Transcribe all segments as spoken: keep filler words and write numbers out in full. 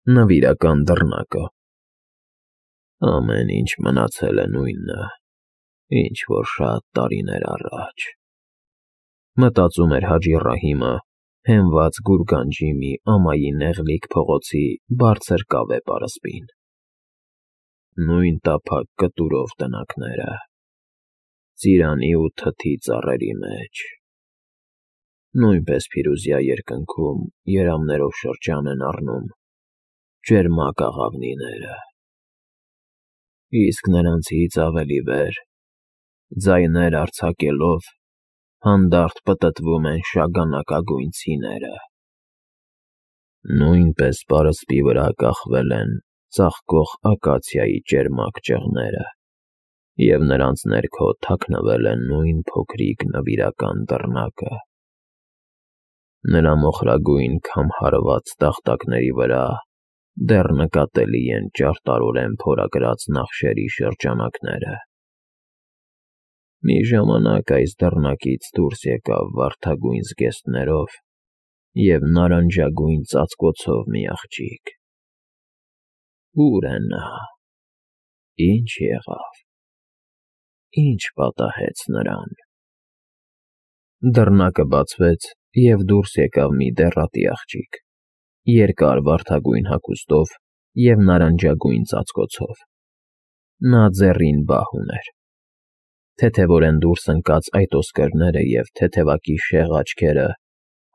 Նվիրական դռնակը։ Ամեն ինչ մնացել է նույնը, ինչ որ շատ տարիներ առաջ, մտածում էր Հաջի Ռահիմը, հենված գուրգանջի մի ամայի նեղլիկ փողոցի բարձր կավե պարսպին։ Նույն տափակ կտուրով տնակները, ծիրանի ու թթի ծառերի մեջ, նույնպես փիրուզյա երկնքում երամներով շրջան են առնում ճերմակ աղավնիները, իսկ նրանցից ավելի վեր, ձայներ արձակելով, հանդարտ պտտվում են շագանակագույն ցիները, նույնպես պարսպի վրա կախվել են ծաղկող ակացիայի ճերմակ ճղները, և նրանց ներքո թաքնվել է նույն փոքրիկ նվիրական դռնակը։ Նրա մոխրագույն քամհարված տախտակների վրա դեռ նկատելի են ճարտարորեն փորագրած նախշերի շրջանակները։ Մի ժամանակ այս դռնակից դուրս եկավ վարդագույն զգեստներով և նարնջագույն ծածկոցով մի աղջիկ։ Ո՞ւր է նա, ինչ եղավ, ինչ պատահեց նրան։ Դռնակը բացվեց, և դուրս եկավ մի դեռատի աղջիկ, երկար վարդագույն հագուստով և նարնջագույն ծածկոցով։ Նա ձեռին բահ ուներ։ Թեթևորեն դուրս ընկած այտոսկրները և թեթևակի շեղ աչքերը,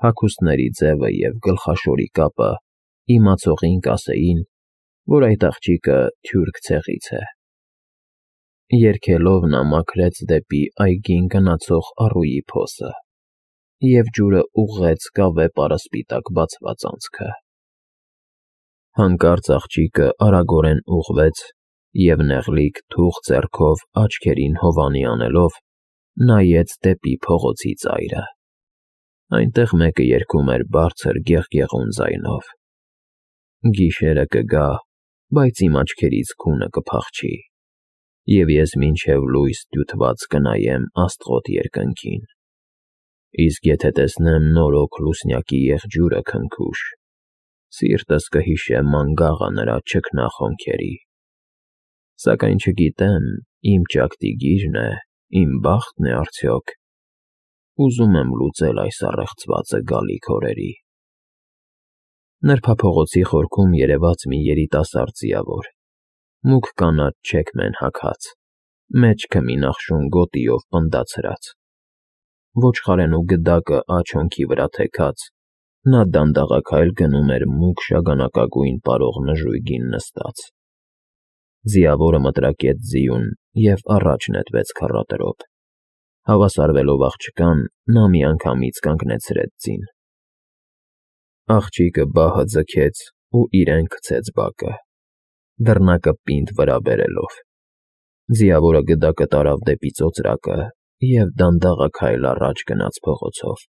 հագուստների ձևը և գլխաշորի կապը իմացողին կասեին, որ այդ աղջիկը թյուրք ցեղից է։ Երգելով նա մաքրեց դեպի այգին գնացող առուի փոսը և ջուրը ուղղեց կավե պարսպի տակ բացված անցքը։ Հանկարծ աղջիկը արագորեն ուղղվեց և նեղլիկ թուխ ձեռքով աչքերին հովանի անելով, նայեց դեպի փողոցի ծայրը։ Այնտեղ մեկը երգում էր բարձր գեղգեղուն ձայնով. «Գիշերը կգա, բայց իմ աչքերից քունը կփախչի, և ես մինչև լույս դյութված կնայեմ աստղոտ երկնքին, իսկ եթե տեսնեմ նորոք լուսնյակի եղջյուրը քնքուշ, սիրտս կհիշե մանգաղը նրա չքնախոնքերի, սակայն չգիտեմ իմ ճակտի գիրն է, իմ բախտն է արդյոք, ուզում եմ լուծել այս առեղծվածը գալիք օրերի»։ Նրբափողոցի խորքում երևաց մի երիտասարդ ձիավոր, մուգ կանաչ չեքմեն հագած, մեջքը մի նախշուն գոտիով պնդացրած։ Ոչխարենու գդակը աջ հոնքի վրա թեքած, նա դանդաղաքայլ գնում էր մուգ շագանակագույն պարող նժույգին նստած։ Ձիավորը մտրակեց ձիուն և առաջ նետվեց քառատրոտ։ Հավասարվելով աղջկան, նա միանգամից կանգնեցրեց ձին։ Աղջիկը բահը ձգեց ու իրեն քցեց բակը, դռնակը պինդ վրա բերելով։ Ձիավորը գդակը տարավ դեպի ծոծրակը և դանդաղաքայլ առաջ գնաց փողոցով։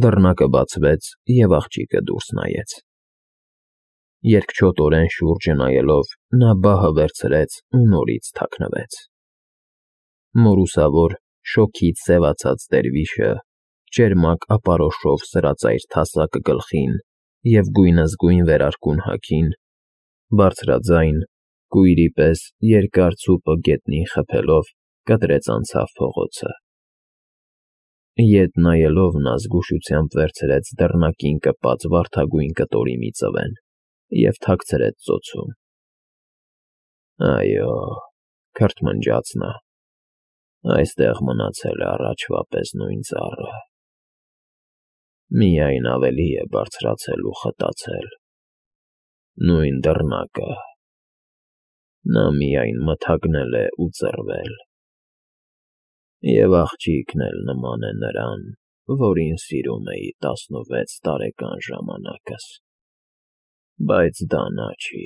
Դռնակը բացվեց, և աղջիկը դուրս նայեց։ Երկչոտորեն շուրջը նայելով, նա բահը վերցրեց ու նորից թաքնվեց։ Մորուսավոր, շոգից սևացած դերվիշը, ճերմակ ապարոշով սրածայր թասակը գլխին և գույնզգույն վերարկուն հագին, բարձրաձայն, կույրի պես երկար ցուպը գետնին խփելով, կտրեց անցավ փողոցը։ Ետ նայելով նա զգուշությամբ վերցրեց դռնակին կպած վարդագույն կտորի մի ծվեն և թաքցրեց ծոցում։ «Այո,֊ քրթմնջաց նա,֊ այստեղ մնացել է առաջվա պես նույն ծառը, միայն ավելի է բարձրացել ու խտացել։ Նույն դռնակը, նա միայն մթագնել է ու ծռվել։ Եվ աղջիկն էլ նման է նրան, որին սիրում էի տասնվեց տարեկան ժամանակս, բայց դա նա չի։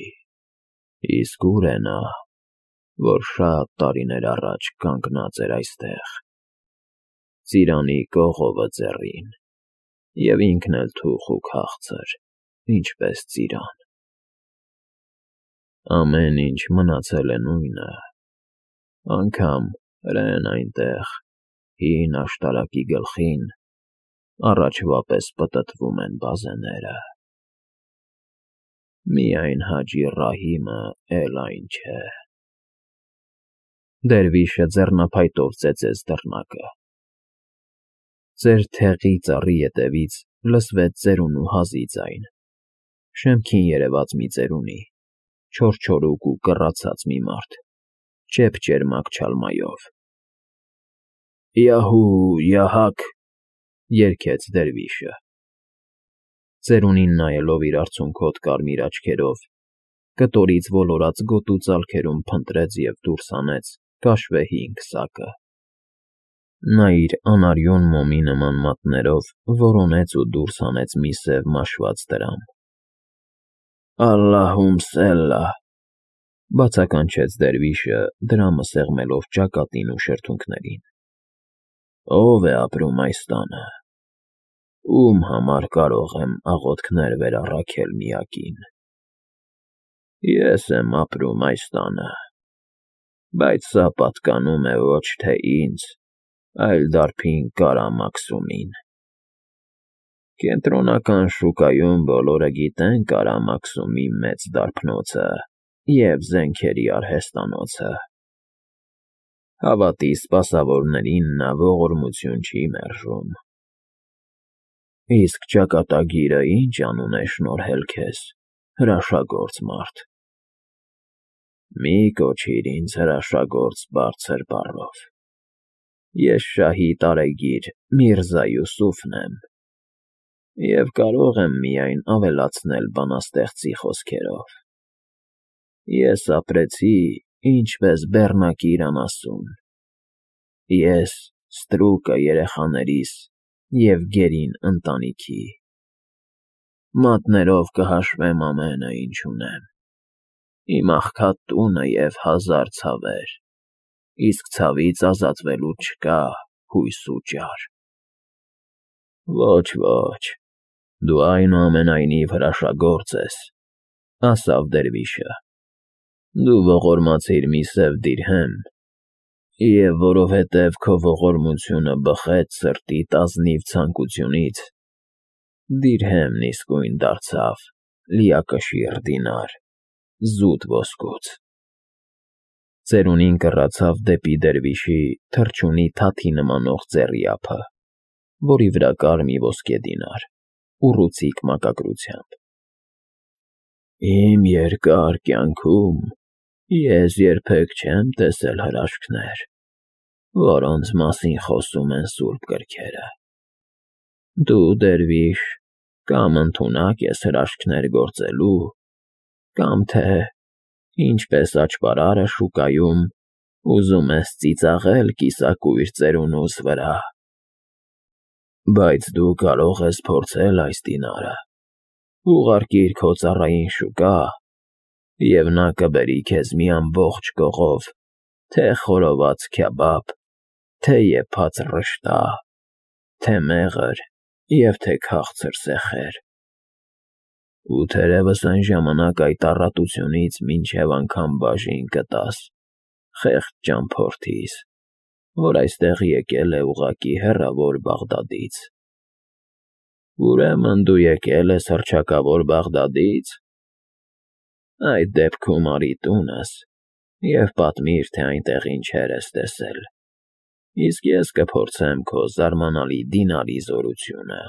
Իսկ ո՞ւր է նա, որ շատ տարիներ առաջ կանգնած էր այստեղ, ծիրանի կողովը ձեռին, և ինքն էլ թուխ ու քաղցր, ինչպես ծիրան։ Ամեն ինչ մնացել է նույնը, անգամ հրեն այնտեղ, հին աշտարակի գլխին, առաջվա պես պտտվում են բազեները»։ Միայն Հաջի Ռահիմը էլ այն չէ։ Դերվիշը ձեռնափայտով ծեծեց դռնակը։ Ձեր թեղի ծառի ետևից լսվեց ծերունու հազի ձայն, շեմքին երևաց մի ծերունի, չորչորուկ ու կռացած մի մարդ, ճեպ-ճերմակ չալմայով։ Յահու, յահակ, երգեց դերվիշը։ Ծերունին նայելով իր արցունքոտ կարմիր աչքերով, կտորից ոլորած գոտու ծալքերում փնտրեց և դուրս հանեց քաշվեհինգ սակը։ Նա իր անարյուն մոմի նման մատներով որոնեց ու դուրս հանեց մի սև մաշված տրամ։ Ալլահում֊սելլահ, բացականչեց դերվիշը, դրամը սեղմելով ճակատին ու շրթունքներին։ Ո՞վ է ապրում այս տանը։ Ում համար կարող եմ աղոթքներ վերառաքել միակին։ Ես եմ ապրում այս տանը, բայց սա պատկանում է ոչ թե ինձ, այլ դարբին Կարամաքսումին։ Կենտրոնական շուկայում բոլորը գիտեն Կարամաքսումի մեծ դարբնոցը և զենքերի արհեստանոցը։ Հավատի սպասավորներին նա ողորմություն չի մերժում։ Իսկ ճակատագիրը ի՞նչ անուն է շնորհել քեզ, հրաշագործ մարդ։ Մի կոչիր ինձ հրաշագործ բարձր բառով։ Ես շահի տարեգիր Միրզա Յուսուֆն եմ և կարող եմ միայն ավելացնել բանաստեղծի խոսքերով։ Ես ապրեցի, ինչպես բեռնակիր անասուն, ես ստրուկը երեխաներիս և գերին ընտանիքի։ Մատներով կհաշվեմ ամենը, ինչ ունեմ, իմ աղքատ տունը և հազար ցավեր, իսկ ցավից ազատվելու չկա հույս ու ճար։ Ոչ, ոչ, դու այնուամենայնիվ հրաշագործ ես, ասավ դերվիշը։ Դու ողորմացիր մի սև դիրհեմ, և որովհետև քո ողորմությունը բխեց սրտիդ ազնիվ ցանկությունից, դիրհեմն իսկույն դարձավ լիակշիռ դինար, զուտ ոսկուց։ Ծերունին կռացավ դեպի դերվիշի թռչունի թաթի նմանող ծառի ափը, որի վրա կար մի ոսկե դինար, ուռուցիկ մակագրությամբ։ Իմ երկար կյանքում ես երբեք չեմ տեսել հրաշքներ, որոնց մասին խոսում են սուրբ գրքերը։ Դու, դերվիշ, կամ ընդունակ ես հրաշքներ գործելու, կամ թե, ինչպես աճպարարը շուկայում, ուզում ես ծիծաղել կիսակույր ծերունուս վրա։ Բայց դու կարող ես փորձել այս դինարը, ուղարկիր քո ծառային շուկա, և նա կբերի քեզ մի ամբողջ կողով թե՛ խորոված քյաբաբ, թե՛ եփած ռշտա, թե՛ մեղր և թե՛ քաղցր սեխեր։ Ու թերևս այն ժամանակ այդ առատությունից մինչև անգամ բաժին կտաս խեղճ ճամփորդիս, որ այստեղ եկել է ուղղակի հեռավոր Բաղդադից։ Ուրեմն դու եկել ես հռչակավոր Բաղդադի՞ց։ Այդ դեպքում արի տունս և պատմիր, թե այնտեղ ինչեր ես տեսել, իսկ ես կփորձեմ քո զարմանալի դինարի զորությունը։